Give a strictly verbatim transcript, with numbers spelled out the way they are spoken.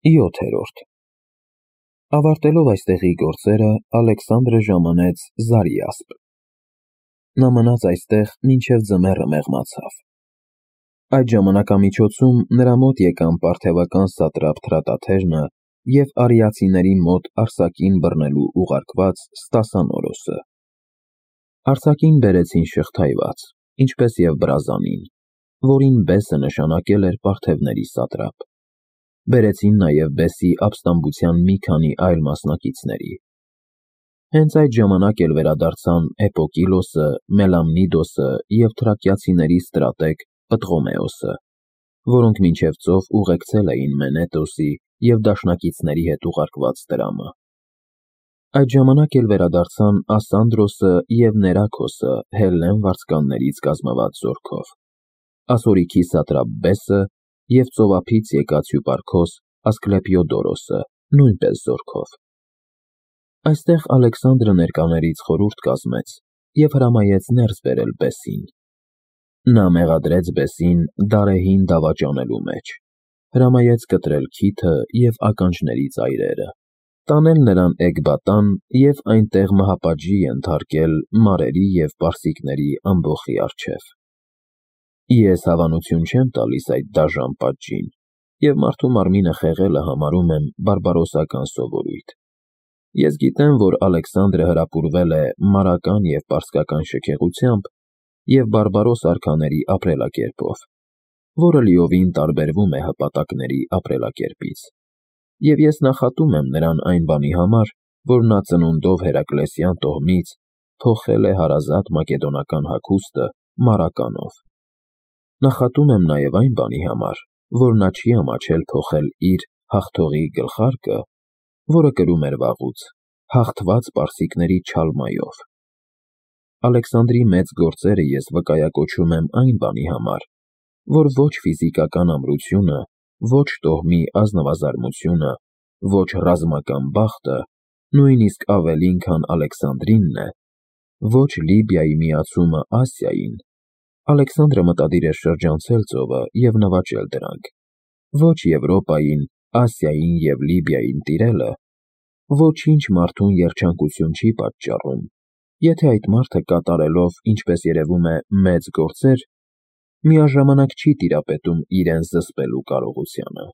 յոթերորդ Ավարտելով այստեղի գործերը, Ալեքսանդրը ժամանեց Զարյասպ։ Նա մնաց այստեղ, մինչև ձմեռը մեղմացավ։ Այդ ժամանակամիջոցում նրա մոտ եկան պարթևական սատրապ Թրատաթերնը և արիացիների մոտ արձակին բռնելու ուղարկված Ստասանորոսը։ Արձակին բերեցին շղթայված, ինչպես և բրազանին, որին բեսը նշանակել էր պարթևների սատրապ։ Բերեցին նաև բեսի ապստամբության մի քանի այլ մասնակիցների։ Հենց այդ ժամանակ էլ վերադարձան Էպոկիլոսը, Մելամնիդոսը և թրակիացիների ստրատեգ Պտղոմեոսը, որոնք մինչև ծով ուղեկցել էին Մենետոսի և դաշնակիցների հետ ուղարկված տրամը։ Այդ ժամանակ էլ վերադարձան Ասանդրոսը և Ներաքոսը Հելլեն վարձկաններից կազմված զորքով, Ասորիքի սատրապ Բեսը և ծովափից եկած հյուպարքոս Ասկլեպիոդորոսը նույնպես զորքով։ Այստեղ Ալեքսանդրը ներկաներից խորհուրդ կազմեց և հրամայեց ներս բերել Բեսին։ Նա մեղադրեց Բեսին դարեհին դավաճանելու մեջ, հրամայեց կտրել քիթը և ականջների ծայրերը, տանել նրան Էկբատան և այնտեղ մահապատժի ենթարկել մարերի և պարսիկների ամբոխի առջև։ Ես հավանություն չեմ տալիս այդ դաժան պատժին և մարդու մարմինը խեղելը համարում եմ բարբարոսական սովորույթ։ Ես գիտեմ, որ Ալեքսանդրը հրապուրվել է մարական և պարսկական շքեղությամբ և բարբարոս արքաների ապրելակերպով, որը լիովին տարբերվում է հպատակների ապրելակերպից, և ես նախատում եմ նրան այն բանի համար, որ նա ծնունդով Հերակլեսյան տոհմից փոխել է հարազատ մակեդոնական հագուստը մարականով։ Նախատում եմ նաև այն բանի համար, որ նա չի ամաչել փոխել իր հաղթողի գլխարկը, որը կրում էր վաղուց, հաղթված պարսիկների չալմայով։ Ալեքսանդրի մեծ գործերը ես վկայակոչում եմ այն բանի համար, որ ոչ ֆիզիկական ամրությունը, ոչ տոհմի ազնվազարմությունը, ոչ ռազմական բախտը, նույնիսկ ավելին, քան Ալեքսանդրինն է, ոչ Լիբիայի միացումը Ասիային, Ալեքսանդրը մտադիր էր շրջանցել ծովը և նվաճել դրանք, ոչ Եվրոպային, Ասիային և Լիբիային տիրելը, ոչինչ մարդուն երջանկություն չի պատճառում, եթե այդ մարդը կատարելով, ինչպես երևում է, մեծ գործեր, միաժամանակ չի տիրապետում իրեն զսպելու կարողությանը։